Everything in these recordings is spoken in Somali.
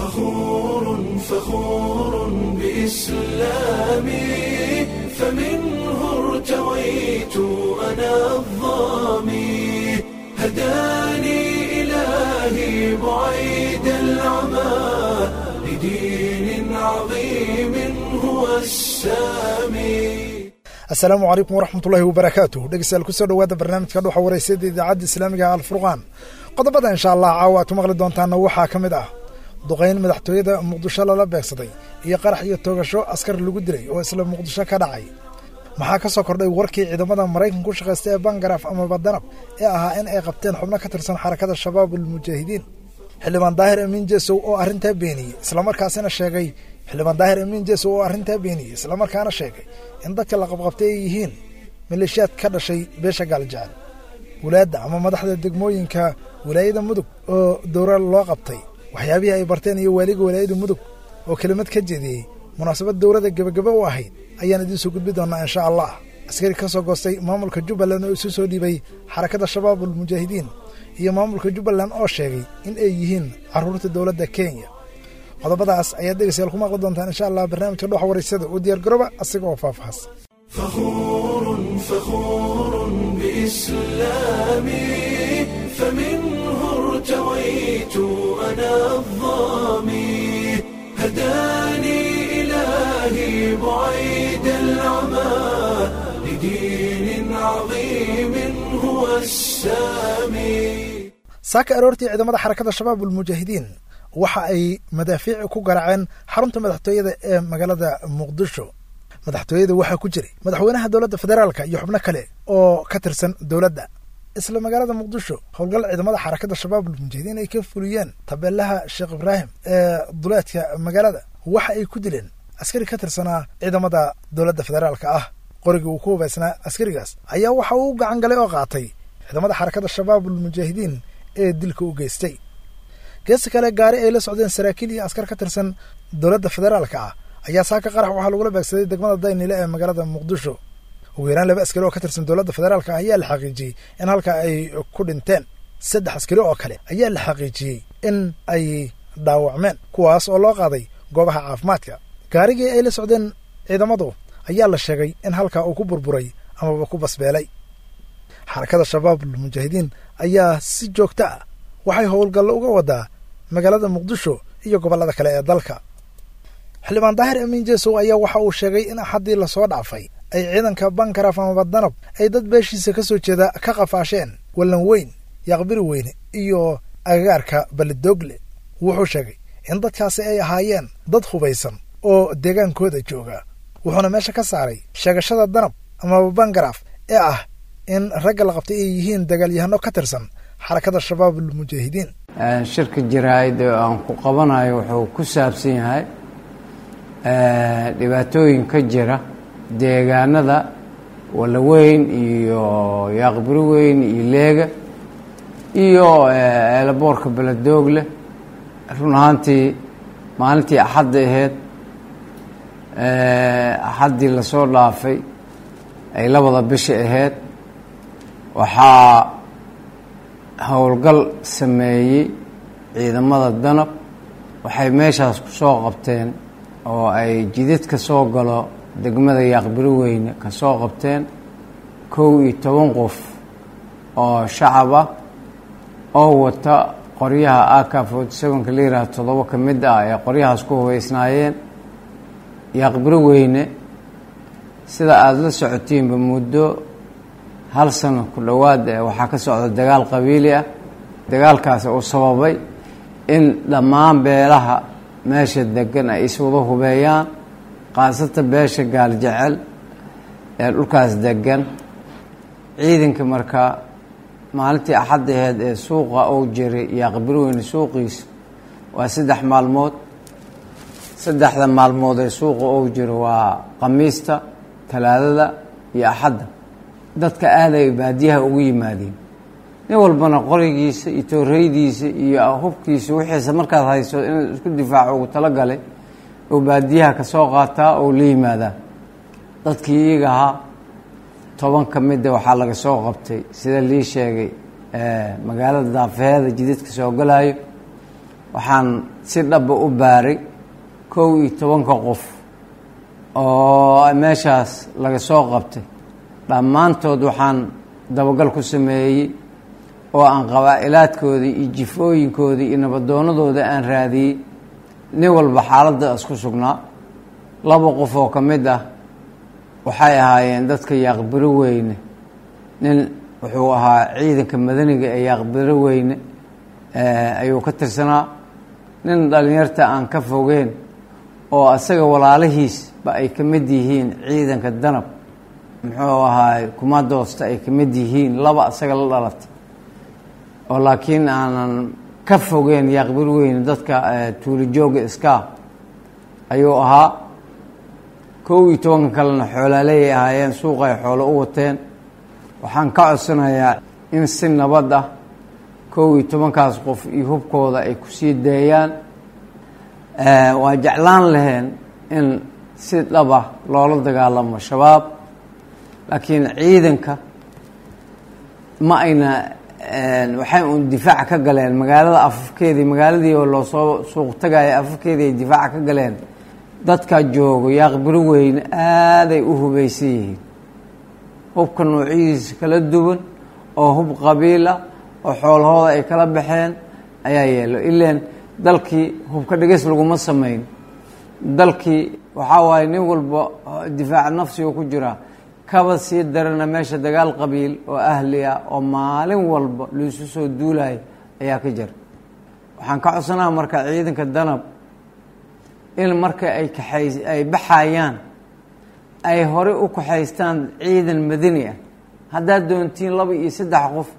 فخور فخور بإسلامي، فمنه ارتويت أنا الظامي، هداني إلهي بعيد العمى لدين عظيم هو السامي. Asalaamu calaykum waraxmatullaahi wabarakaatuh. Dhegeystayaal, kusoo dhowaada barnaamijka Dhuxa Wareysada Idaacadda Islaamiga Alfurqaan. Qodobada insha Allah caawa aad ku maqli doontaana waxaa ka mid ah duqayn madaxtooyada Muqdisho lala beegsaday iyo qarax iyo toogasho askar lagu dilay oo isla Muqdisho ka dhacay. Maxaa ka soo kordhay warkii ciidamada Maraykanka ku shaqaysta ee Bangaraaf amaba Danab ee ahaa in ay qabteen xubno ka tirsan Xarakada Shabaab Almujaahidiin? Xildhibaan Daahir Amiin Jesow oo arrintaa beeniyey islamarkaasina sheegay Xildhibaan Daahir Amiin Jesow oo arrintaa beeniyey islamarkaana sheegay in dadka la qabqabtay ay yihiin maleeshiyaad ka dhashay beesha Gaaljecel. Walaadda ama madaxda degmooyinka Walaayada Mudug oo dowra loo qabtay, waxyaabihii ay barteen iyo waaliga Walaayada Mudug oo kelimad ka jeediyey munaasabad dowrada gebagaba u ahayd ayaan idiin soo gudbi doonaa insha Allah. Askari ka soo goostay maamulka Jubbaland oo isu soo dhiibay Xarakada Shabaab Almujaahidiin iyo maamulka Jubbaland oo sheegay in ay yihiin carruurta dowladda Kenya. Qodobadaas ayaad dhegeystayaal ku maqli doontaan insha Allah barnaamijka Dhuxa Wareysada. U diyaar garooba asiga oo faahfaahsan. فخور فخور بإسلامي، فمنه ارتويت أنا الظامي، هداني إلهي بعيد العمى لدين عظيم هو السامي. Saaka aroortii ciidamada Xarakada Shabaab Almujaahidiin waxa ay madaafiic ku garaaceen xarunta madaxtooyada ee magaalada Muqdisho. Madaxtooyada waxaa ku jiray madaxweynaha dowladda federaalka iyo xubno kale oo ka tirsan dowladda. Isla magaalada Muqdisho, howlgal ciidamada Xarakada Shabaab Almujaahidiin ay ka fuliyeen tabeelaha Sheekh Ibraahim ee duleedka magaalada waxa ay ku dileen askari ka tirsanaa ciidamada dowladda federaalka ah. Qorigii uu ku hubaysnaa askarigaas ayaa waxa uu gacan galay oo qaatay ciidamada Xarakada Shabaab Almujaahidiin ee dilka u geystay. Geesta kale, gaari ay la socdeen saraakiil iyo askar ka tirsan dowladda federaalka ah ayaa saaka qarax waxaa lagula beegsaday degmada Daynile ee magaalada Muqdisho. Ugu yaraan laba askari oo ka tirsan dowladda federaalka ah ayaa la xaqiijiyey in halka ay ku dhinteen. Saddex askari oo kale ayaa la xaqiijiyey in ay dhaawacmeen, kuwaas oo loo qaaday goobaha caafimaadka. Gaarigii ay la socdeen ciidamadu ayaa la sheegay in halkaa uu ku burburay amaba ku basbeelay. Xarakada Shabaab Almujaahidiin ayaa si joogto ah waxay howlgallo uga wadaa magaalada Muqdisho iyo gobollada kale ee dalka. Xildhibaan Daahir Amiin Jesow ayaa waxa uu sheegay in Axaddii lasoo dhaafay ay ciidanka Bankaraf amaba Danab ay dad beeshiisa ka soo jeeda ka qafaasheen Wallan Weyn, Yaaqbiri Weyne iyo agagaarka Balidoogle. Wuxuu sheegay in dadkaasi ay ahaayeen dad hubaysan oo deegaankooda jooga, wuxuuna meesha ka saaray sheegashada Danab amaba Bangaraf ee ah in ragga la qabtay ay yihiin dagaalyahano ka tirsan Xarakada Shabaab Almujaahidiin. Shirka jaraa'id oo aan ku qabanayo wuxuu ku saabsan yahay dhibaatooyin ka jira deegaanada Walaweyn iyo Yaaqbiri Weyn iyo Leega iyo eelaboorka Beledoogle. Run ahaantii, maalintii Axadda ahayd, Axaddii lasoo dhaafay ay labada bisha ahayd, waxaa howlgal sameeyey ciidamada Danab. Waxay meeshaas ku soo qabteen oo ay jidad ka soo galo degmada Yaaqbiri Weyne ka soo qabteen 11 qof oo shacab ah oo wata qoryaha AK-47-ka la yihahdo. Toddoba ka mid ah ee qoryahaas ku hubeysnaayeen. Yaaqbiri Weyne, sida aada la socotiinba, muddo hal sano ku dhowaad waxaa ka socda dagaal qabiili ah. Dagaalkaasi uu sababay in dhammaan beelaha meesha degan ay iswada hubeeyaan, khaasatan beesha Gaaljecel ee dhulkaas degan. Ciidanka markaa maalintii Axadda aheyd ee suuqa uu jiray Yaaqbiri Weyne suuqiisa waa 3 maalmood. Saddexda maalmood ee suuqa uu jiro waa Khamiista, Talaadada iyo Axadda. Dadka aaday baadiyaha ugu yimaadeen, nin walbana qorigiisa iyo tooreydiisa iyo hubkiisa wixiisa markaad hayso inuu isku difaaco ugu talagalay oo baadiyaha ka soo qaataa oo la yimaadaa. Dadkii iyaga ahaa, 10 ka mida waxaa laga soo qabtay, sida lii sheegay, magaalada daafeheeda jidadka soo galayo. Waxaan si dhaba u baaray 11-ka qof oo meeshaas laga soo qabtay. Dhammaantood waxaan dabagal ku sameeyey oo aan qabaa'ilaadkoodii iyo jifooyinkoodii iyo nabadoonadooda aan raadiyey. Nin walba xaaladda isku sugnaa. 2 qof oo ka mid ah waxay ahaayeen dadka Yaaqbiro Weyne. Nin wuxuu ahaa ciidanka madaniga ee Yaaqbiro Weyne ayuu ka tirsanaa. Nin dhalinyarta aan ka fogeen oo asaga walaalihiis ba ay ka mid yihiin ciidanka Danab, muxuu ahaay kumadoosta ay ka mid yihiin, 2 asaga la dhalatay oo laakiin aanan ka fogeen Yaaqbiro Weyne dadka tuulo jooga iska ayuu ahaa. 11-ka kalena xoolaaleeyay ahaayeen, suuqay xoolo u wateen. Waxaan ka codsanayaa in si nabad ah 11-kaas qof iyo hubkooda ay ku sii deeyaan. Waa jeclaan laheen in si dhab ah loola dagaalamo Shabaab, laakiin ciidanka ma ayna, waxay uun difaac ka galeen magaalada afafkeedii, magaaladii oo loo soo suuq tagaya afafkeedii ay difaac ka galeen. Dadka joogo Yaaqbiro Weyne aaday u hubaysan yihiin, hubka noocyadiisa kala duwan oo hub qabiil ah oo xoolahooda ay kala baxeen ayaa yeelo. Ileen dalkii hubka dhigis laguma samayn, dalkii waxaa waaye nin walba difaac nafsiga ku jiraa. Kaba sii darana meesha dagaal qabiil oo ahli ah oo maalin walba laisu soo duulayo ayaa ka jira. Waxaan ka codsanaha marka ciidanka Danab in marka ay kaxay ay baxayaan ay hore u kaxaystaan ciidan madani ah. Haddaad doontiin 2 iyo 3 qof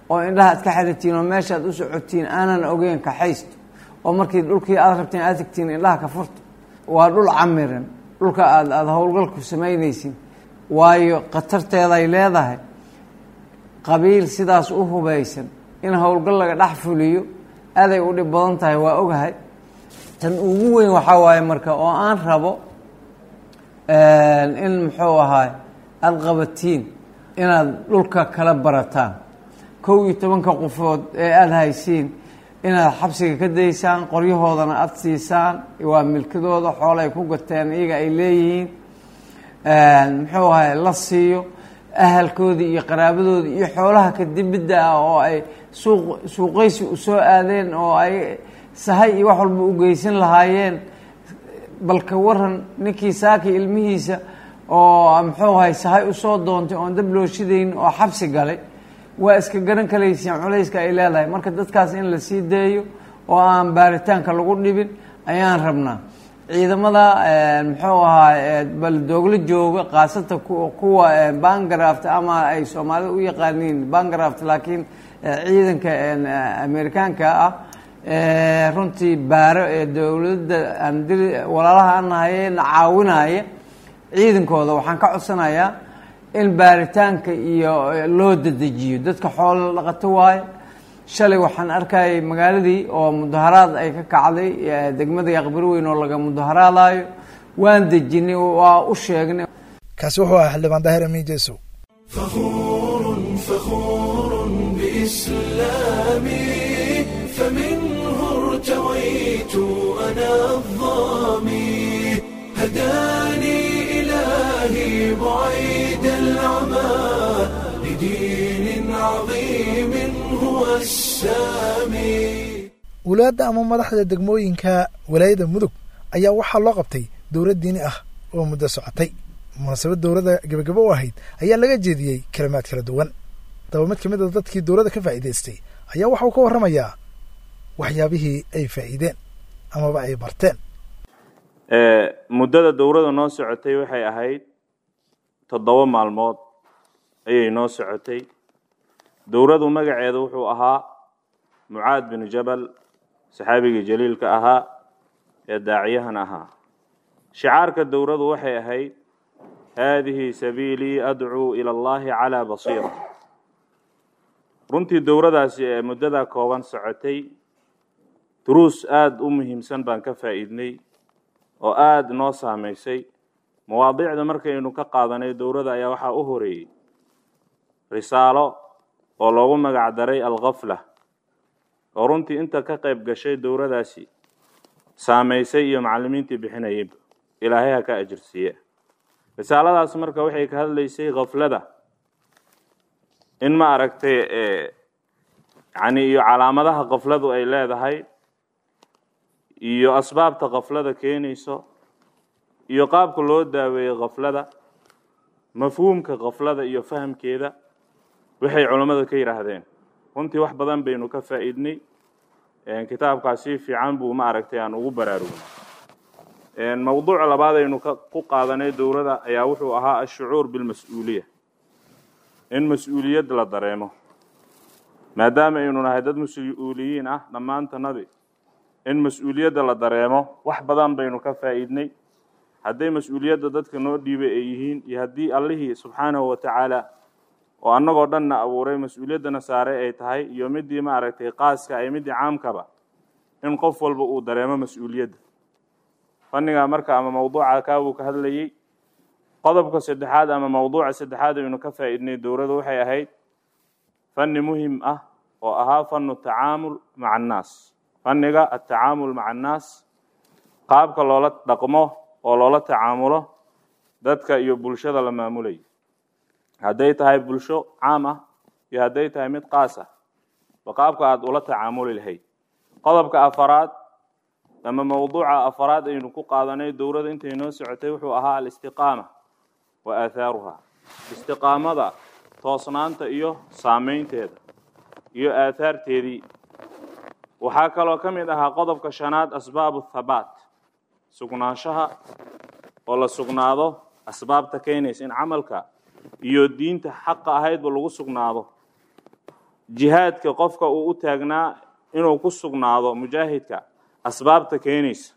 oo indhaha aad ka xiratiin oo meeshaad u socotiin aanan ogeyn kaxaysto, oo markii dhulkii aad rabteen aad tagtiin indhaha ka furto. Waa dhul camiran dhulka aad howlgalku samaynaysin, waayo khatarteeday leedahay. Qabiil sidaas u hubaysan in howlgal laga dhex fuliyo aaday u dhib badan tahay, waa ogahay. Tan ugu weyn waxaa waaye marka oo aan rabo in muxuu ahaay aada qabatiin inaad dhulka kala barataan. 11-ka qofood ee aada haysiin inaad xabsiga ka daysaan, qoryahoodana aada siisaan, waa milkadooda, xoolo ay ku gateen iyaga ay leeyihiin, muxuu ahaay la siiyo ahalkoodii iyo qaraabadoodii iyo xoolaha kadibidda ah oo ay suuqaysi u soo aadeen oo ay sahay iyo wax walba u geysan lahaayeen. Balka waran ninkii saaki ilmihiisa oo muxuu ahay sahay usoo doontay oon dab loo shidayn oo xabsi galay, waa iska garan kalayseen culayska ay leedahay. Marka dadkaas in la sii deeyo oo aan baaritaanka lagu dhibin ayaan rabnaa. Ciidamada muxuu ahaa baldoogla jooga, khaasatan kuwa bangraft ama ay Soomaalida u yaqaaniin bangraft, laakiin ciidanka Amerikaanka ah runtii baaro ee dowladda aan walaalaha aan nahay na caawinaya ciidankooda, waxaan ka codsanayaa in baaritaanka iyo loo dedejiyo. Dadka xoolo dhaqato waaye. Shalay waxaan arkayay magaaladii oo mudaharaad ay ka kacday degmada Yaaqbiro Weyn oo laga mudaharaadayo. Waan dejinay, waa u sheegnay. Kaasi wuxuu ahaa xildhibaan Daahir Amiin Jeesow. فخور فخور بإسلامي، فمنه ارتويت أنا الظامي، هداني إلهي بعيد العمى لدين عظيم هو السامي. Walaadda ama madaxda degmooyinka walaayada Mudug ayaa waxaa loo qabtay dowlad diini ah oo muddo socotay. Munaasabad dowladda gebagabo u ahayd ayaa laga jeediyey kalimaad kala duwan. Daba mid ka mid a dadkii dowladda ka faa'iidaystay ayaa waxa uu ka warramayaa waxyaabihii ay faa'iideen amaba ay barteen. Muddada dowladda noo socotay waxay ahayd 7 maalmood ayay noo socotay. Dowladdu magaceedu wuxuu ahaa Mucaad bin Jabal, saxaabigii jaliilka ahaa ee daaciyahan ahaa. Shicaarka dowladdu waxay ahayd haadihi sabiilii adcuu ila Allahi calaa basiira. Runtii dowladdaasi ee muddada kooban socotay duruus aada u muhiimsan baan ka faa'iidnay oo aada noo saameysay. Mawaadiicda markaynu ka qaadanay dowladda ayaa waxaa u horeeyey risaalo oo loogu magac daray alghafla. Oo runtii inta ka qayb gashay dowradaasi saamaysay iyo macallimiintii bixinayayba, Ilaahay ha ka ajirsiiye. Risaaladaas marka waxay ka hadlaysay khaflada in ma aragtay, yani iyo calaamadaha khafladu ay leedahay iyo asbaabta khaflada keenayso iyo qaabka loo daaweeyey khaflada, mafhuumka khaflada iyo fahamkeeda, waxay culammada ka yidhaahdeen. Runtii wax badan baynu ka faa'iidnay kitaabkaas, si fiican buu ma aragtay aan ugu baraarugnay. Mowduuca labaad aynu ku qaadanay dowladda ayaa wuxuu ahaa الشعور بالمسؤولية, in mas-uuliyad la dareemo, maadaama aynu nahay dad mas-uuliyiin ah dhammaantanadi, in mas-uuliyadda la dareemo. Wax badan baynu ka faa'iidnay, hadday mas-uuliyadda dadka noo dhiibay ay yihiin iyo haddii Allihii subxaanahu wa tacaala oo annagoo dhanna abuuray mas-uuliyaddana saaray ay tahay, iyo midii ma aragtay qaaska ay midii caamkaba, in qof walba uu dareemo mas-uuliyadda. Fanniga marka ama mawduuca kaabuu ka hadlayey. Qodobka saddexaad ama mawduuca saddexaad aynu ka faa'iidnay dowladda waxay ahayd fanni muhim ah oo ahaa فن التعامل مع الناس, fanniga التعامل مع الناس, qaabka loola dhaqmo oo loola tacaamulo dadka iyo bulshada la maamulayo, hadday tahay bulsho caam ah iyo hadday tahay mid qaas ah ba, qaabka aada ula tacaamuli lahayd. Qodobka afaraad ama mawduuca afaraad aynu ku qaadanay dowladda intay noo socotay wuxuu ahaa الاستقامة وآثارها, istiqaamada, toosnaanta iyo saameynteeda iyo aahaarteedii. Waxaa kaloo ka mid ahaa qodobka shanaad أسباب الثبات, sugnaanshaha oo la sugnaado, asbaabta keenaysa in camalka iyo diinta xaqa ahaydba lagu sugnaado, jihaadka qofka uu u taagnaa inuu ku sugnaado, mujaahidka, asbaabta keenaysa.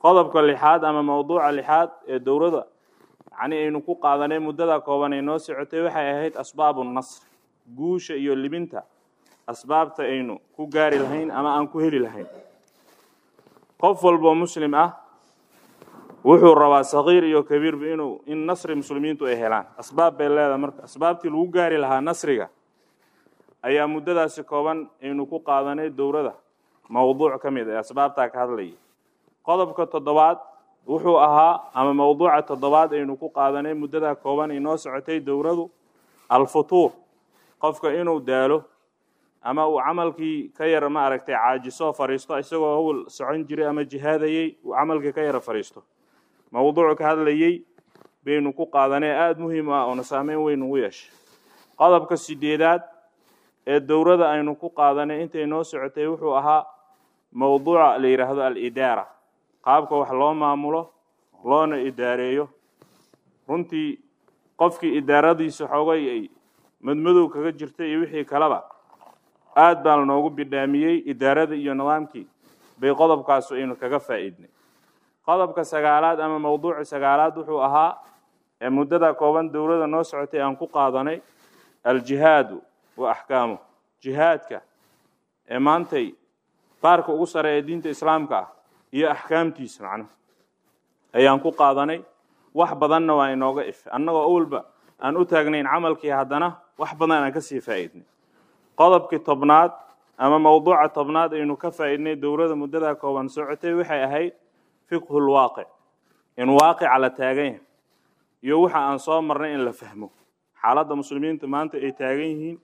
Qodobka lixaad ama mawduuca lixaad ee dowladda yacni aynu ku qaadanay muddada kooban ay noo socotay waxay ahayd أسباب النصر, guusha iyo libinta asbaabta aynu ku gaari lahayn ama aan ku heli lahayn. Qof walboo Muslim ah wuxuu rabaa, sagiir iyo kabiirba, inuu in nasri muslimiintu ay helaan. Asbaab bay leedahay. Marka asbaabtii lagu gaari lahaa nasriga ayaa muddadaasi kooban aynu ku qaadanay dowladda mawduuc ka mid ee asbaabtaa ka hadlayay. Qodobka toddobaad wuxuu ahaa ama mawduuca toddobaad aynu ku qaadanay muddadaa kooban inoo socotay dowladu الفتور, qofka inuu daalo ama uu camalkii ka yara ma aragtay caajiso, fariisto, isagoo hawl socon jiray ama jihaadayey uu camalkii ka yara fariisto, mawduuc ka hadlayey baynu ku qaadanay, aada muhiim ah oona saameyn weyn ugu yeeshay. Qodobka sideedaad ee dowladda aynu ku qaadanay intay noo socotay wuxuu ahaa mawduuca la yidhaahdo الإدارة, qaabka wax loo maamulo loona idaareeyo. Runtii qofkii idaaradiisa xoogay ay madmadow kaga jirtay iyo wixii kaleba, aad baa lanoogu bidhaamiyey idaarada iyo nidaamkii bay qodobkaasu aynu kaga faa'iidnay. Qodobka sagaalaad ama mawduuca sagaalaad wuxuu ahaa ee muddada kooban dowladda noo socotay aan ku qaadanay الجهاد وأحكامه, jihaadka ee maantay baarka ugu sare ee diinta Islaamka ah iyo axkaamtiisa macnaha ayaan ku qaadanay. Wax badanna waa inooga if annagoo awalba aan u taagnayn camalkii, haddana wax badan aan ka sii faa'iidnay. Qodobkii 10aad ama mawduuca 10aad aynu ka faa'iidnay dowladda muddadaa kooban socotay waxay ahayd فقه الواقع, in waaqica la taagan yahay iyo waxa aan soo marnay in la fahmo, xaaladda muslimiinta maanta ay taagan yihiin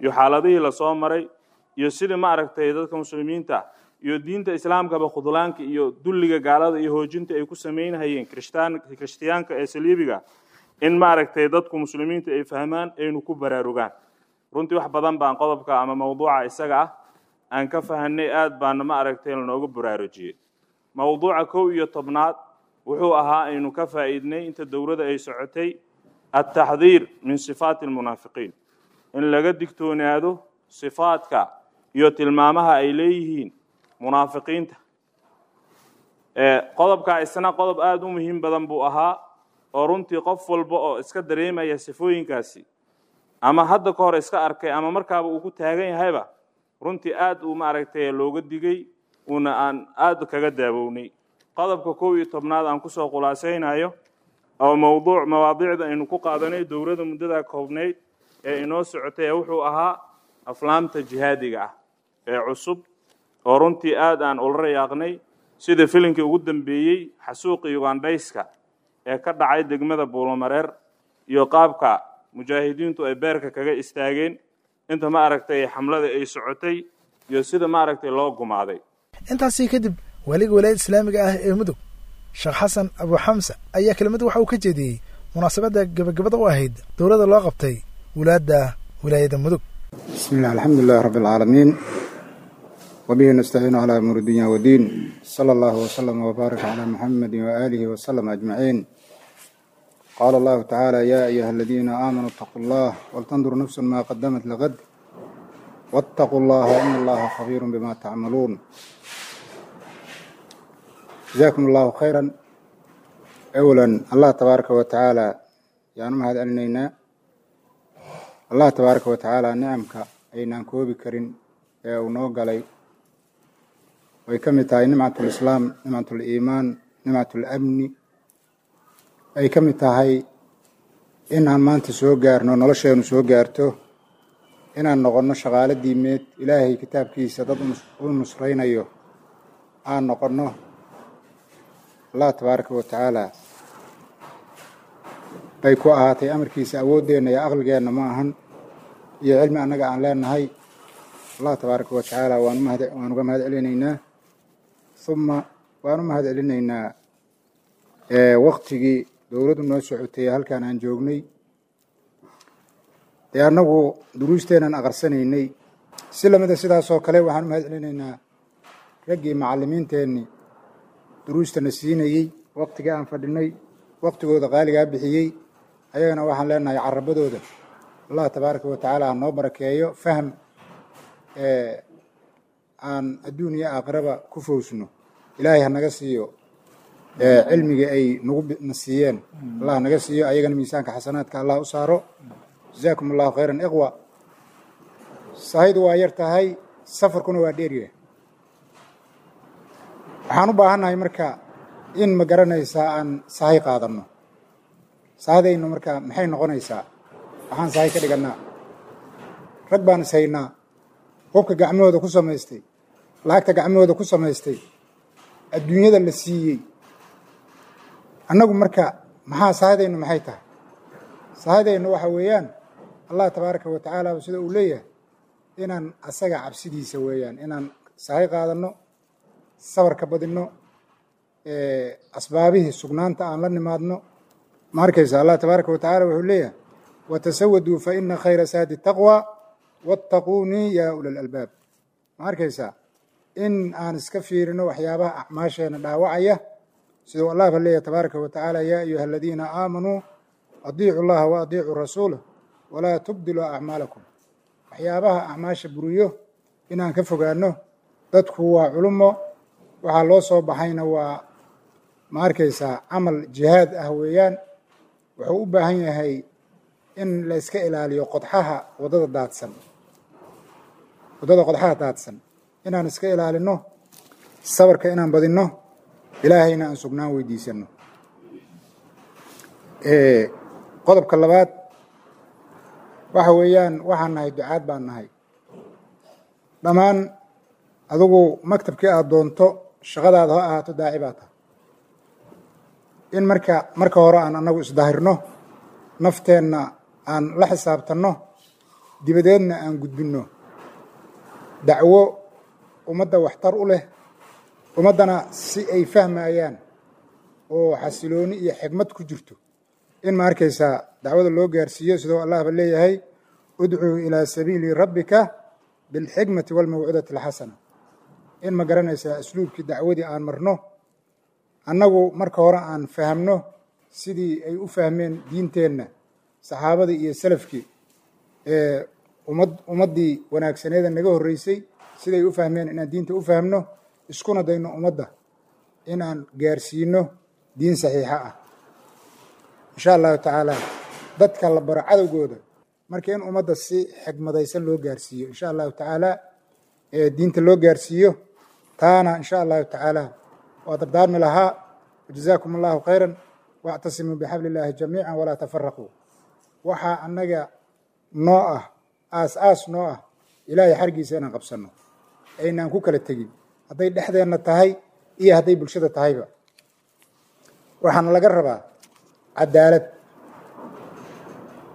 iyo xaaladihii lasoo maray iyo sidii ma aragtay dadka muslimiinta iyo diinta Islaamkaba khudlaanka iyo dulliga gaalada iyo hoojinta ay ku samaynahayeen Kirishtiyaanka ee saliibiga, in ma aragtay dadku muslimiinta ay fahmaan, aynu ku baraarugaan. Runtii wax badan baan qodobka ama mawduuca isaga ah aan ka fahanay, aad baana ma aragtay lanooga baraarujiyey. Mawduuca 11aad wuxuu ahaa aynu ka faa'iidnay inta dowladda ay socotay التحذير من صفات المنافقين, in laga digtoonaado sifaadka iyo tilmaamaha ay leeyihiin munaafiqiinta. Qodobkaa isna qodob aada u muhiim badan buu ahaa, oo runtii qof walba oo iska dareemaya sifooyinkaasi ama hadda ka hor iska arkay ama markaaba uu ku taagan yahayba, runtii aad uu ma aragtay looga digay, uuna aan aada kaga daawownay. Qodobka 11aad aan kusoo khulaasaynayo oo mawduuc mawaadiicda aynu ku qaadanay dowladda muddadaa koobnayd ee inoo socotay ee wuxuu ahaa aflaamta jihaadiga ah. ee cusub oo runtii aad aan ula rayaaqnay, sida filinkii ugu dambeeyey xasuuqii Ugandhayska ee ka dhacay degmada Buulomareer iyo qaabka mujaahidiintu ay beerka kaga istaageen inta ma aragtay xamlada ay socotay iyo sida ma aragtay loo gumaaday. Intaasii kadib waaliga walaayada islaamiga ah ee Mudug, Sheekh Xasan Abu Xamsa, ayaa kelimad waxa uu ka jeediyey munaasabadda gebagabada u ahayd dowladda loo qabtay wulaadda wilaayada Mudug. بسم الله، الحمد لله رب العالمين، وبه نستعين على أمور الدنيا والدين، صلى الله وسلم وبارك على محمد وآله وسلم أجمعين. قال الله تعالى: يا أيها الذين آمنوا اتقوا الله ولتنظر نفس ما قدمت لغد واتقوا الله إن الله خبير بما تعملون. جزاكم الله خيرا. أولا الله تبارك وتعالى yaan u mahad celinaynaa. Allah tabaaraka wa tacaala nicamka aynaan koobi karin ee uu noo galay way ka mid tahay nimcatul islaam, nimcatul iimaan, nimcatul amni, ay ka mid tahay inaan maanta soo gaarno, nolosheenu soo gaarto, inaan noqonno shaqaalo diimeed Ilaahay kitaabkiisa dad u nusraynayo aan noqonno. Allah tabaaraka wa tacaala bay ku ahaatay amarkiisa, awooddeenna iyo aqligeenna ma ahan iyo cilmi annaga aan leenahay. Allah tabaaraka wa tacaala waan uga mahad celinaynaa. Uma waan u mahad celinaynaa waqtigii dowladdu noo socotay halkaan aan joognay dee annagu duruusteenaan aqarsanaynay. Si lamida sidaasoo kale waxaan u mahad celinaynaa raggii macallimiinteenni duruustana siinayey waqtigii aan fadhinay, waqtigooda qaaligaa bixiyey. Ayagana waxaan leenahay carabadooda Allah tabaaraka wa tacaala ha noo barakeeyo, fahm aan adduun iyo aakhiraba ku fowsno Ilaahay ha naga siiyo, cilmigii ay nagu na siiyeen Allah naga siiyo, ayagana miisaanka xasanaadka Allah u saaro. Jazaakum Allahu khayran. Ikhwa, sahaydu waa yar tahay, safarkuna waa dheeryahay. Waxaan u baahannahay marka in ma garanaysaa aan sahay qaadanno. Sahadaynu marka maxay noqonaysaa? Waxaan sahay ka dhigannaa rag baan ishaynaa, hubka gacmahooda ku samaystay, lacagta gacmahooda ku samaystay, adduunyada la siiyey. Annagu marka maxaa sahadaynu maxay tahay? Sahadaynu waxa weeyaan Allah tabaaraka wa tacaala sida uu leeyahay inaan asaga cabsidiisa weeyaan, inaan sahay qaadanno, sabarka badinno, asbaabihii sugnaanta aan la nimaadno. Ma arkaysa, Allah tabaaraka wa tacaala wuxuu leeyahay: watasawaduu fa ina khayra saadi taqwa wattaquunii yaa ula lalbaab. Ma arkaysaa in aan iska fiirino waxyaabaha acmaasheena dhaawacaya, siduu Allah ba leeyahay tabaaraka wa tacaala: yaa ayuha aladiina aamanuu adiicu llaha wa adiicuu rasuulah walaa tubdiluu acmaalakum. Waxyaabaha acmaasha buriyo inaan ka fogaano. Dadku waa culumo, waxaa loo soo baxayna waa ma arkaysaa camal jihaad ah weeyaan. Wuxuu u baahan yahay in la iska ilaaliyo qodxaha waddada daadsan, waddada qodxaha daadsan inaan iska ilaalino, sabarka inaan badinno, Ilaahayna aan sugnaan weydiisanno. Qodobka labaad waxa weeyaan waxaan nahay ducaad baan nahay dhammaan. Adigu maktabkii aad doonto shaqadaada ha ahaato, daaci baa tahay. In marka hore aan annagu isdahirno, nafteenna aan la xisaabtanno, dibadeedna aan gudbinno dacwo ummadda waxtar u leh, ummaddana si ay fahmayaan oo xasilooni iyo xigmad ku jirto in ma arkaysaa dacwada loo gaarsiiyo, sidoo Allahba leeyahay: udcuu ilaa sabiili rabbika bilxikmati waalmawcidati alxasana. In ma garanaysaa asluubkii dacwadii aan marno, annagu marka hore aan fahamno sidii ay u fahmeen diinteenna saxaabadii iyo salafkii ee ummaddii wanaagsaneeda naga horreysay, siday u fahmeen inaan diinta u fahmno, iskuna dayno ummadda inaan gaarsiino diin saxiixa ah insha Allahu tacaala. Dadka la baro cadowgooda marka in ummadda si xigmadaysan loo gaarsiiyo insha Allahu tacaala ee diinta loo gaarsiiyo, taana insha Allahu tacaala waa dardaarmi lahaa. Jazaakum Allahu khayran. Wactasimuu bixabli illaahi jamiica walaa tafaraquu. Waxaa annaga noo ah aas aas noo ah Ilaahay xargiisa inaan qabsanno. Aynaan ku kala tegin, hadday dhexdeenna tahay iyo hadday bulshada tahayba. Waxaana laga rabaa cadaalad,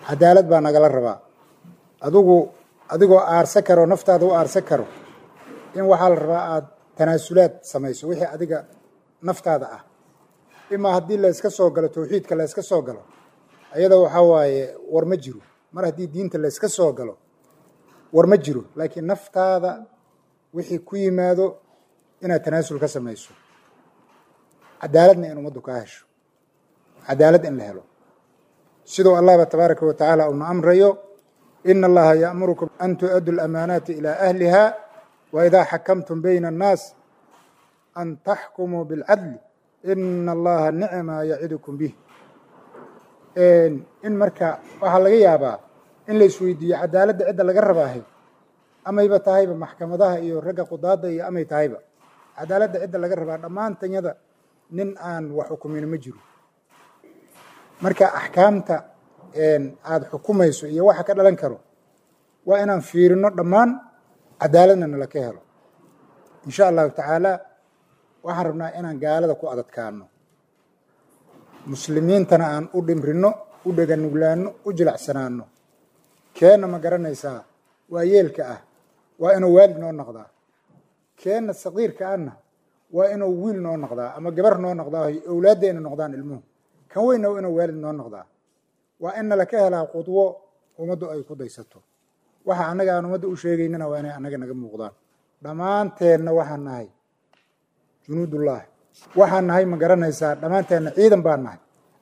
cadaalad baa nagala rabaa. Adigu adigoo aarsa karo, naftaada u aarsa karo, in waxaa la rabaa aada tanaasulaad samayso wixii adiga naftaada ah. Imaa haddii layska soo galo tawxiidka, layska soo galo ayada, waxaa waaye war ma jiro. Mar haddii diinta layska soo galo, war ma jiro, laakiin naftaada wixii ku yimaado inaad tanaasul ka samayso, cadaaladna in ummaddu kaa hesho, cadaalad in la helo, siduu Allahba tabaaraka wa tacaala uuna amrayo: "Ina Allaha ya'murukum an tu'addu lamaanaati ilaa ahliha wa idaa xakamtum bayna annaas an taxkumuu bilcadli, ina Allaha nicma yacidukum bih." In marka waxaa laga yaabaa in la isweydiiyo cadaaladda cidda laga rabaahay, amayba tahayba maxkamadaha iyo ragga qudaadda iyo amay tahayba cadaaladda cidda laga rabaa. Dhammaantanyada nin aan wax xukumin ma jiro. Marka axkaamta aada xukumayso iyo waxa ka dhalan karo waa inaan fiirino dhammaan, cadaaladna nala ka helo, insha Allahu tacaala. Waxaan rabnaa inaan gaalada ku adadkaano, muslimiintana aan u dhimrino, u dheganuglaano, u jilacsanaano. Keenna, ma garanaysaa, waa yeelka ah waa inuu waalid noo noqdaa, keenna saqiirka ahna waa inuu wiil noo noqdaa ama gabar noo noqdaa, owlaaddeena noqdaan ilmuhu. Kan weynna waa inuu waalid noo noqdaa. Waa in nala ka helaa qudwo ummaddu ay ku daysato. Waxa annaga aan ummadda u sheegaynana waa inay annaga naga muuqdaan. Dhammaanteenna waxaan nahay junuudullah, waxaan nahay, ma garanaysaa, dhammaanteenna ciidan baan nahay.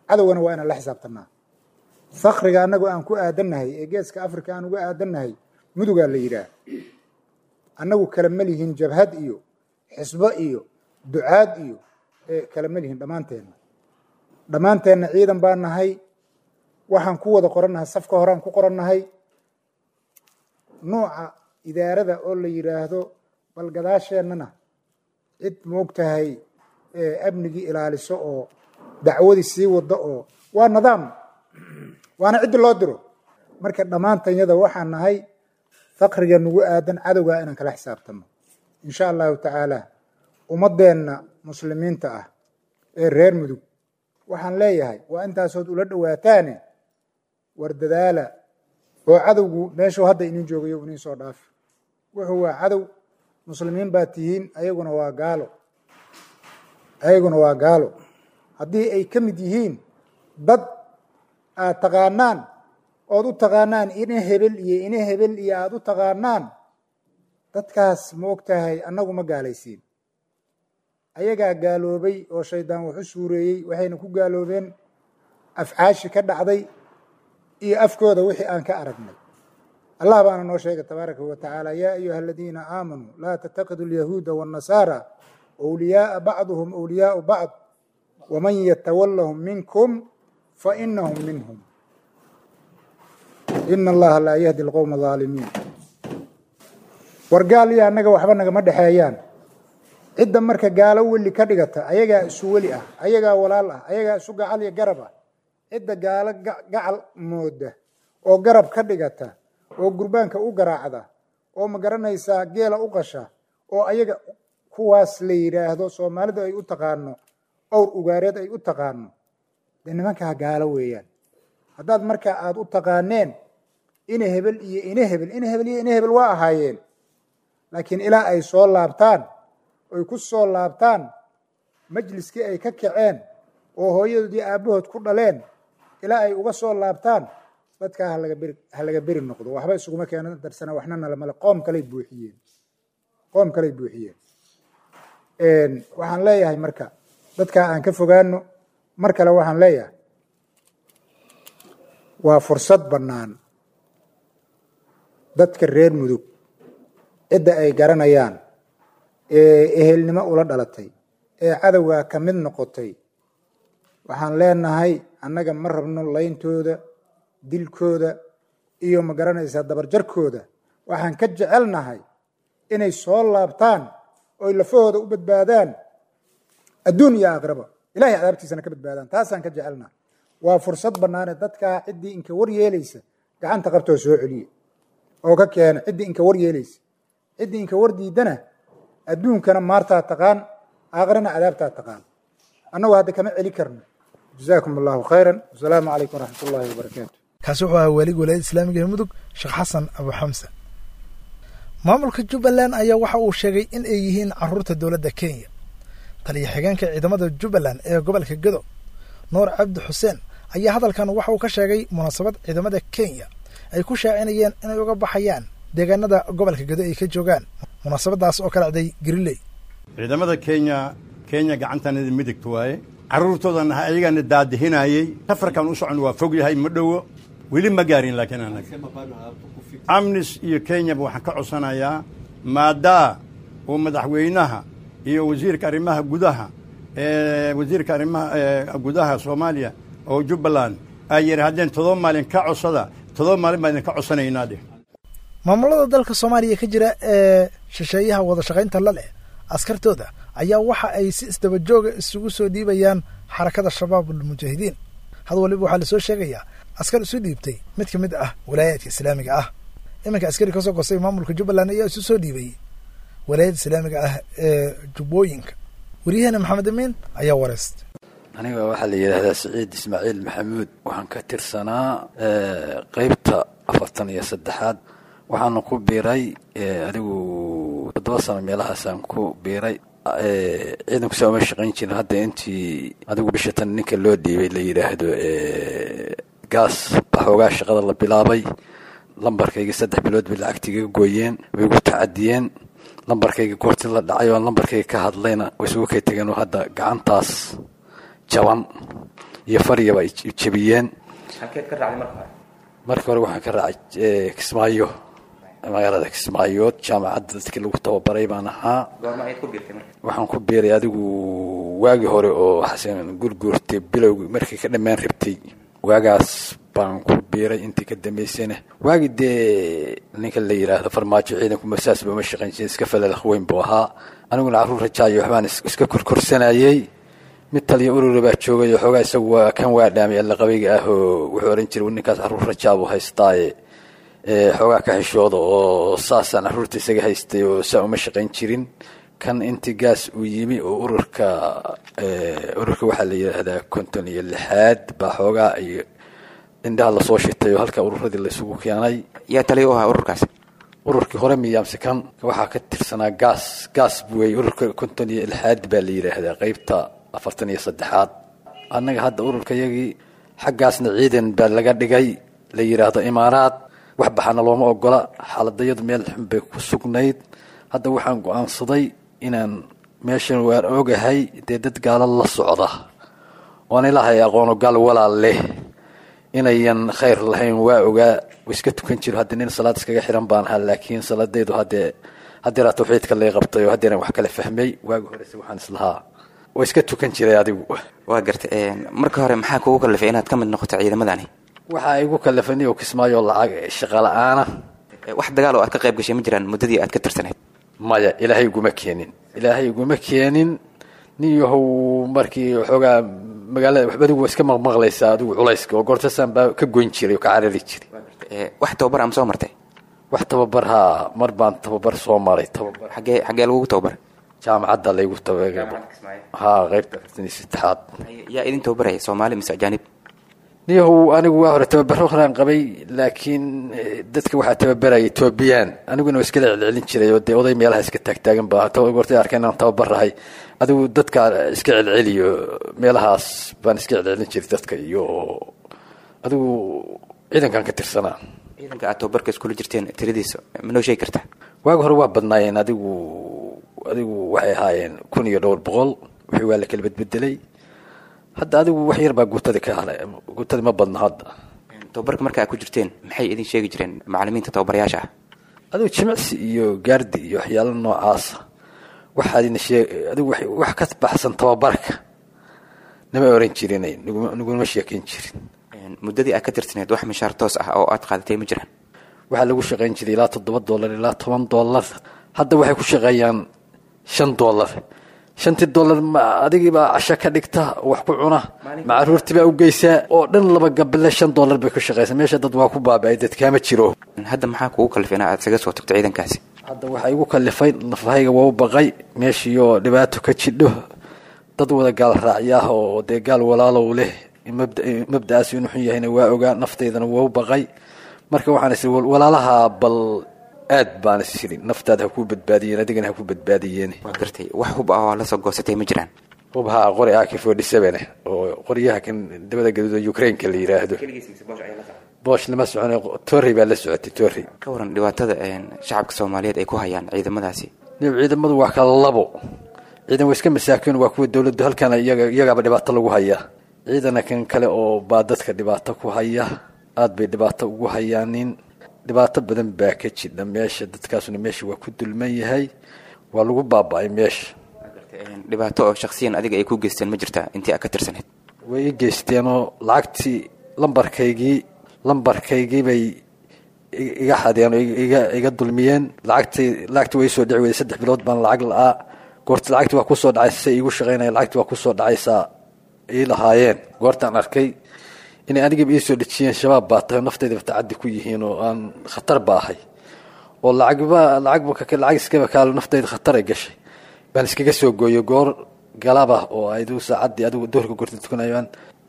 Cadowgana waa inaan la xisaabtanaa. Fakriga annagu aan ku aadannahay ee Geeska Africa aan uga aadannahay Mudugaa la yidhaah. Annagu kala ma lihin jabhad iyo xisbo iyo ducaad iyo kala ma lihin. Dhammaanteenna ciidan baan nahay. Waxaan ku wada qorannahay safka horaan ku qorannahay. Nuuca idaarada oo la yidhaahdo bal gadaasheennana cid moogtahay amnigii ilaaliso oo dacwadii sii wado oo waa nidaam, waana ciddi loo diro. Marka dhammaantanyada waxaan nahay fakriga nagu aadan cadowgaa inaan kala xisaabtano, insha Allahu tacaala. Ummaddeenna muslimiinta ah ee reer Mudug waxaan leeyahay, waa intaasood ula dhowaataane, war dadaala oo cadowgu meeshuu hadda inin joogayo inin soo dhaafi. Wuxuu waa cadow, muslimiin baa tihiin, ayaguna waa gaalo, ayaguna waa gaalo. Haddii ay ka mid yihiin dad aad taqaanaan ood u taqaanaan ina hebel iyo ina hebel iyo aada u taqaanaan, dadkaas, ma og tahay, annagu ma gaalaysiin, ayagaa gaaloobay oo shaydaan wax u suureeyey. Waxayna ku gaaloobeen afcaashi ka dhacday iyo afkooda wixii aan ka aragnay. Allah baana noo sheegay tabaaraka wa tacaala: "Yaa ayuha aladiina aamanuu, laa tattakidu alyahuuda waannasaara wliyaaa, bacduhum wliyaau bacd, waman yatawallahum minkum fainahum minhum, ina Allaha laa yahdi alqowma aalimiin." War gaal iyo annaga waxba nagama dhexeeyaan. Cidda marka gaalo weli ka dhigata, ayagaa isu weli ah, ayagaa walaal ah, ayagaa isu gacal iyo garab ah. Cidda gaalo gacal mooda oo garab ka dhigata oo gurbaanka u garaacda oo, ma garanaysaa, geela u qasha oo ayaga kuwaas la yidhaahdo, Soomaalidu ay u taqaano owr ugaareed ay u taqaano, dee nimankaa gaalo weeyaan. Haddaad marka aada u taqaaneen ina hebel iyo ina hebel, ina hebel iyo ina hebel waa ahaayeen, laakiin ilaa ay soo laabtaan oy ku soo laabtaan majliskii ay ka kaceen oo hooyadoodii aabbahood ku dhaleen, ilaa ay uga soo laabtaan dadkaa, halaga beri, ha laga beri noqdo. Waxba isuguma keena darsana, waxna nalamale. Qoom kaley buuxiyeen, qoom kaley buuxiyeen. Waxaan leeyahay marka dadkaa aan ka fogaano. Mar kale waxaan leeyahay, waa fursad bannaan dadka reer Mudug cidda ay garanayaan ee ehelnimo ula dhalatay ee cadowgaa ka mid noqotay. Waxaan leenahay, annaga ma rabno layntooda, dilkooda iyo, ma garanaysaa, dabarjarkooda. Waxaan ka jecelnahay inay soo laabtaan oy lafahooda u badbaadaan adduun iyo aakhiraba, Ilahay cadaabtiisana ka badbaadaan. Taasaan ka jecelnahay. Waa fursad bannaane dadkaa ciddii inka war yeelaysa gacanta qabtoo soo celiye oo ka keena, ciddii inka war yeelaysa. Ciddii inka war diidana Adduunkana maartaa taqaan, aakhirana cadaabtaa taqaan. Annagu hadda kama celi karno. Jazaakum allahu khayran, wasalaamu calaykum waraxmat ullahi wabarakaatu. Kaasi wuxuu ahaa waaliga walaayadda islaamiga ee Mudug, Sheekh Xasan Abu Xamsa. Maamulka Jubbaland ayaa waxa uu sheegay in ay yihiin caruurta dowladda Kenya. Taliya xigeenka ciidamada Jubbaland ee gobolka Gedo, Nuur Cabdi Xuseen, ayaa hadalkan waxa uu ka sheegay munaasabad ciidamada Kenya ay ku shaacinayeen inay uga baxayaan deegaanada gobolka Gedo ay ka joogaan, munaasabadaas oo ka dhacday Gariley. Ciidamada Kenya gacantanada midigta waaye, carruurtoodan ah ayagaana daadihinayey. Safarkan u socon waa fog yahay, ma dhowo, weli ma gaarin. Laakiin anaga ATMIS iyo Kenyaba waxaan ka codsanayaa, maadaa uu madaxweynaha iyo wasiirka arrimaha gudaha, wasiirka arrimaha gudaha Soomaaliya oo Jubbaland ay yidhaahdeen 7 maalin ka codsada, 7 maalin baan idinka codsanaynaa dheh. Maamulada dalka Soomaaliya ka jira ee shisheeyaha wada shaqaynta la leh askartooda ayaa waxa ay si isdaba jooga isugu soo dhiibayaan Xarakada Shabaabul Mujaahidiin. Had waliba waxaa lasoo sheegayaa askar isu dhiibtay mid ka mid ah walaayaadka islaamiga ah. Iminka askari kasoo gostay maamulka Jubbaland ayaa isu soo dhiibay walaayadda islaamiga ah ee Jubbooyinka. Waryaheena Maxamed Amiin ayaa wareystay. Aniga waxaa la yidhaahdaa Siciid Ismaaciil Maxamuud. Waxaan ka tirsanaa qeybta 43aad. Waxaana ku biiray anigu 7 sano meelahaasaan ku biiray. Ciidanku saa uma shaqayn jirin. Hadda intii adigu bisha tan ninka loo dhiibay la yidhaahdo Gaas baxoogaa shaqada la bilaabay. Lambarkayga 3 bilood bay lacagtiigaga gooyeen, way igu tacadiyeen. Lambarkayga goortii la dhacay oo lambarkayga ka hadlayna way isugu kay tageen, oo hadda gacantaas jaban iyo faryaba ay jebiyeen. Marka hore waxaan ka raacay Kismaayo, magaalada Kismaayood, jaamacadda dadkii lagu tababaray baan ahaa. Waxaan ku biiray adigu waagii hore oo Xasan Gurguurtay bilowgii, markii ka dhammaan rabtay waagaas baan ku biiray. Intii ka dambaysayna waagii dee ninka la yidhaahdo Farmaajo ciidanku masaas ba ma shaqayn jirin, iska falalakh weyn buu ahaa. Aniguna carruur rajaayo waxbaan iska korkorsanayey. Mid taliya urura baa joogay oo xoogaa isagu waa kan waa dhaamay alla qabayga ah, oo wuxuu ohan jiray ninkaas carruur rajaabuu haystaaye xoogaa ka xishooda, oo saasaan carruurta isaga haystay oo saa uma shaqayn jirin. Kan intii Gaas uu yimi oo ururka waxaa la yidhaahdaa 56aad baa xoogaa iyo indhaha lasoo shitay oo halka ururadii laysugu keenay. Yaa taliya u ahaa ururkaas? Ururkii hore miyaamse kan waxaa ka tirsanaa Gaas. Gaas buwey. Ururka 56aad baa la yidhaahdaa, qeybta 43aad. Annaga hadda ururka yagii xaggaasna ciidan baa laga dhigay la yidhaahdo Imaaraad. Wax baxana looma ogola. Xaaladayadu meel xun bay ku sugnayd. Hadda waxaan go-aansaday inaan meeshan waan ogahay dee dad gaalo la socda oon ilaahay aqoono, gaal walaal leh inayan khayr lahayn waa ogaa. Iska tukan jiro, hadda nin salaad iskaga xiran baan ahaa, laakiin salaadaydu haddee haddeeraa tawxiidka lay qabtay oo haddeeran wax kale fahmay. Waagi horese waxaan islahaa waa iska tukan jiray adigu. Waa garta. Marka hore maxaa kugu kalifay inaad ka mid noqoto ciidamadani? Waxaa igu kalifay oo Kismaayo lacag shaqa la-aana. Wax dagaal oo aad ka qayb gashay ma jiraan muddadii aad ka tirsanayd? Maya, Ilaahay iguma keenin, Ilaahay iguma keenin. Nin yahow, markii waxoogaa magaalada waxba adigu waa iska maqmaqlaysaa adigu culayska oo goortasaan baa ka goyn jiray oo ka carari jiray. Wax tababar ama soo martay? Wax tababar haa, mar baan tababar soo maray, tababar. Xaggee lagugu tababaray? Jaamacadda laygu tababar haa, qaybta 43aad. Yaa idin tababaraya, Soomaali mise ajaanib? Niyahow, anigu waa hore tababaro horaan qabay, laakiin dadka waxaa tababaraya Etoobiyaan. Aniguna waa iskala celcelin jiray oo dee oday meelaha iska taagtaagan baa goortay arkeen inaan tababarahay. Adigu dadka iska celceliyo, meelahaas baan iska celcelin jiray dadka iyo adigu ciidankan ka tirsanaa. Ciidanka aad tababarka iskula jirteen tiradiisa ma noo sheegi kartaa? Waagi hore waa badnaayeen. Adigu waxay ahaayeen kun iyo dhowr boqol. Wixii waa la kala bedbedelay. Hadda adigu wax yar baa guutada ka haray, guutada ma badna hadda. Tababarka marka aad ku jirteen maxay idin sheegi jireen macallimiinta tababarayaasha ah? Adigu jimicsi iyo gaardi iyo waxyaalo noocaasa. Waxaad ina sheeg adigu wax ka baxsan tababarka nama oran jirin, naguma sheekeyn jirin. Muddadii aad ka tirsaneed wax mishaar toos ah oo aad qaadatay ma jiraan? Waxaa lagu shaqayn jiray ilaa $7 ilaa $10. Hadda waxay ku shaqeeyaan $5. Shantii dollar ma adigii baa casho ka dhigta, wax ku cuna, ma caruurtii baa u geysaa oo dhan laba gabale $5 bay ku shaqeysaa. Meesha dad waa ku baaba'ay, dad kaama jiro. Hadda maxaa kugu kalifay in aad isaga soo tagto ciidankaasi? Hadda waxaa igu kalifay nafahayga waa u baqay meeshiioo dhibaato ka jidho, dad wada gaal raacyaah oo dee gaal walaalow leh, mabda'aas inuu xun yahayna waa ogaa, naftaydana waa u baqay. Marka waxaan is walaalaha bal aad baan is irin, naftaada ha kuu badbaadiyeen, adigana ha ku badbaadiyeen. Waa gartay. Wax hub ah oo la soo goosatay ma jiraan? Hub haa, qori AK-47 oo qoryaha kan dabada gaduuda Ukraine-ka la yiraahdo. Boosh lama socon, torrey baa la socotay, torrey. Ka waran dhibaatada shacabka Soomaaliyeed ay ku hayaan ciidamadaasi? Ciidamadu waa kala labo. Ciidan waa iska masaakiin, waa kuwa dowladdu halkan iyagaaba dhibaato lagu hayaa. Ciidana kan kale oo baa dadka dhibaato ku haya, aad bay dhibaato ugu hayaanin. Dhibaato badan baa ka jidha meesha, dadkaasuna meesha waa ku dulman yahay, waa lagu baaba'ay meesha. Dhibaato oo shakhsiyan adiga ay ku geysteen ma jirtaa intii aad ka tirsanayd? Way i geysteenoo lacagtii lambarkaygii bay iga xadeen oo iga dulmiyeen. Lacagtii way soo dhici weyday, 3 bilood baan lacag la'aa. Goorta lacagtii waa kusoo dhacaysa, say iigu shaqaynaya, lacagtii waa kusoo dhacaysaa ii lahaayeen. Goortaan arkay inay anigaba ii soo dhejiyeen shabaab baa tahay, naftaydaba tacaddi ku yihiin oo aan khatar ba ahay oo lacagba lacag iskaba kaalo, naftayda khatar ay gashay, baan iskaga soo gooyo goor galaba oo aydu saacaddii adigu duhurka goorta tukanayaan,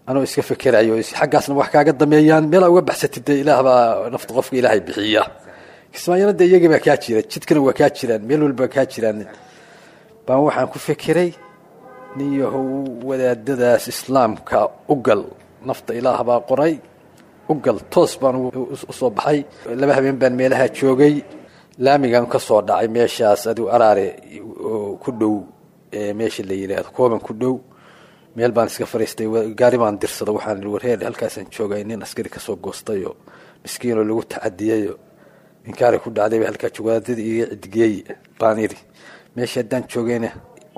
anoo iska fekerayo xaggaasna wax kaaga dameeyaan, meelaa uga baxsatid dee ilaah baa nafta qofka ilaahay bixiya. Kismaayana dee iyagii baa kaa jira, jidkana waa kaa jiraan, meel walba kaa jiraan. Baan waxaan ku fekeray, nin yahow wadaadadaas islaamka u gal, nafta ilaah baa qoray, u gal. Toos baan u soo baxay, 2 habeen baan meelaha joogay, laamigan ka soo dhacay meeshaas adigu Araare ku dhow, meesha la yidhaahdo Kooban ku dhow, meel baan iska fariistay, gaari baan dirsada, waxaan ihi warheer halkaasaan joogay, nin askari kasoo goostayoo miskiinoo lagu tacadiyayo inkaari ku dhacdayba halkaa joogo, wadaadadii iga cidgeey baan idhi. Meesha haddaan joogayna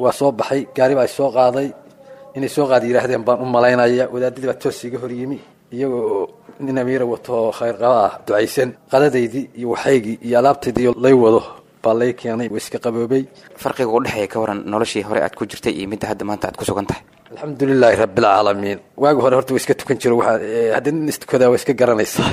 waa soo baxay, gaari baa soo qaaday, inay soo qaadi yidhaahdeen baan u malaynaya. Wadaadadii baa toos iga hor yimi, iyagoo nin amiira wato khayr qaba ah, ducaysan. Qadadaydii iyo waxaygii iyo alaabtaydii lay wado baa lay keenay, waa iska qaboobay. Farqiga u dhexeeya ka waran noloshii hore aad ku jirtay iyo midda hadda maanta aad ku sugan tahay? Alxamdulilaahi rabbilcaalamiin. Waagi hore horta waa iska tukan jiro, waxaa haddii nin istukadaa waa iska garanaysaa.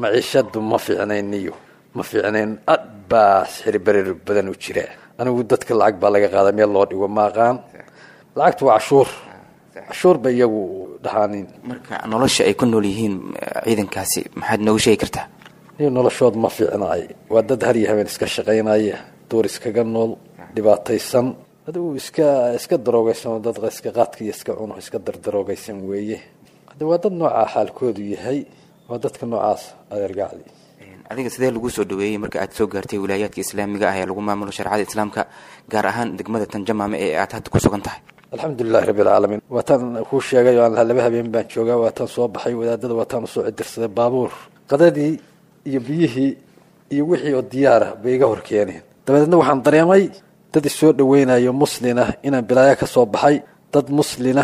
Maciishadu ma fiicnayn niyo, ma fiicnayn, aad baa sixir barir badan u jira. Anigu dadka lacag baa laga qaadaa, meel loo dhigo ma aqaan. Lacagtu waa cashuur, cashuur bay iyagu dhahaanin. Marka nolosha ay ku nool yihiin ciidankaasi maxaad nooga sheegi kartaa? Niyo noloshood ma fiicnaay, waa dad har iyo habeen iska shaqaynaya, duur iskaga nool, dhibaataysan, adigu iska daroogaysan, oo dad iska qaadka iyo iska cuno iska dardaroogaysan weeye. Hadda waa dad noocaa xaalkoodu yahay, waa dadka noocaas adeer gacli. Adiga sidee lagu soo dhaweeyey marka aad soo gaartay wilaayaadka islaamiga ah ee lagu maamulo shareecada islaamka, gaar ahaan degmada Tanjamaame ee aad hadda ku sugan tahay? Alxamdulilahi rabbilcaalamiin. Waataan kuu sheegay oo aan lahaa 2 habeen baan joogaa, waataan soo baxay wadaadada, waataan usoo cidirsaday baabuur, qadadii iyo biyihii iyo wixii oo diyaara bay iga hor keeneen. Dabadeedna waxaan dareemay dad isoo dhaweynayo muslina, inaan bilaaya ka soo baxay, dad muslina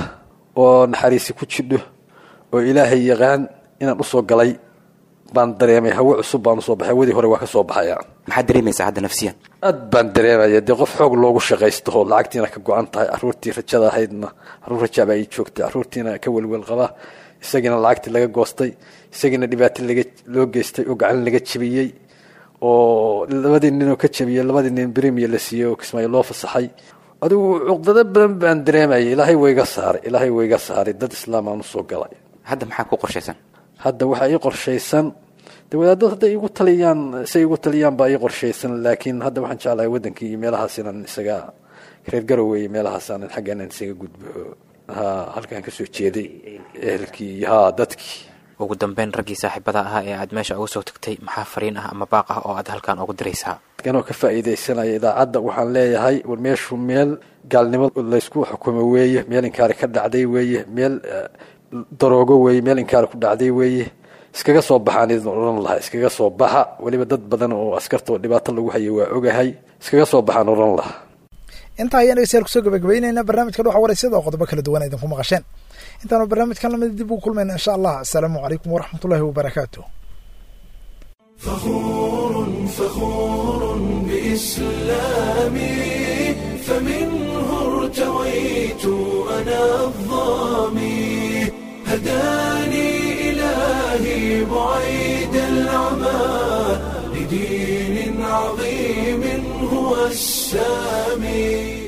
oo naxariisi ku jidho oo ilaahay yaqaan inaan usoo galay baan dareemay. Hawo cusub baan usoo baxay, hawadii hore waa ka soo baxaya. Maxaad dareemaysaa hadda nafsiyan? Aad baan dareemaya dee qof xoog loogu shaqaysto oo lacagtiina ka go-an tahay, carruurtii rajada ahaydna, carruur rajaa baa ii joogtay, carruurtiina ka welwel qaba, isagiina lacagtii laga goostay, isagiina dhibaato loo geystay oo gacan laga jebiyey, oo labadii ninoo ka jebiyey, labadii nin bremier la siiyey oo Kismaayo loo fasaxay. Adigu cuqdado badan baan dareemayay. Ilaahay wayga saaray, ilaahay wayga saaray, dad islaam aan usoo galay. Hadda maxaa ku qorshaysan? Hadda waxaa ii qorshaysan de wadaadad hadday igu taliyaan, say igu taliyaan baa ii qorshaysan, laakiin hadda waxaan jeclahay waddankii iyo meelahaas inaan isaga reer Garowe iyo meelahaas aanan xagga inaan isaga gudbo, ha halkaan kasoo jeeday ehelkii iyo ha dadkii. Ugu dambeyn raggii saaxiibada ahaa ee aad meesha uga soo tagtay, maxaa fariin ah ama baaq ah oo aad halkaan ugu diraysaa? Anoo ka faa'iidaysanaya idaacadda waxaan leeyahay, war meeshu meel gaalnimo laysku xukumo weeye, meel inkaari ka dhacday weeye, meel daroogo weeye, meel inkaari ku dhacday weeye, iskaga soo baxaan idin odhan lahaa, iskaga soo baxa. Weliba dad badan oo askarta oo dhibaato lagu hayo waa ogahay, iskaga soo baxaan odhan lahaa. Intaa ayaan dhegeystayaal kusoo gabagabaynaynaa barnaamijka Dhuuxa Waraysyada oo qodobo kala duwan idinku maqasheen. Intaanu barnaamijkan lamid dib ugu kulmayna insha Allah, asalaamu calaykum waraxmatullahi wabarakaatu. فخور فخور بإسلامي، فمنه ارتويت أنا الظامي، هداني إلهي بعيد العمى. لدين عظيم هو السامي.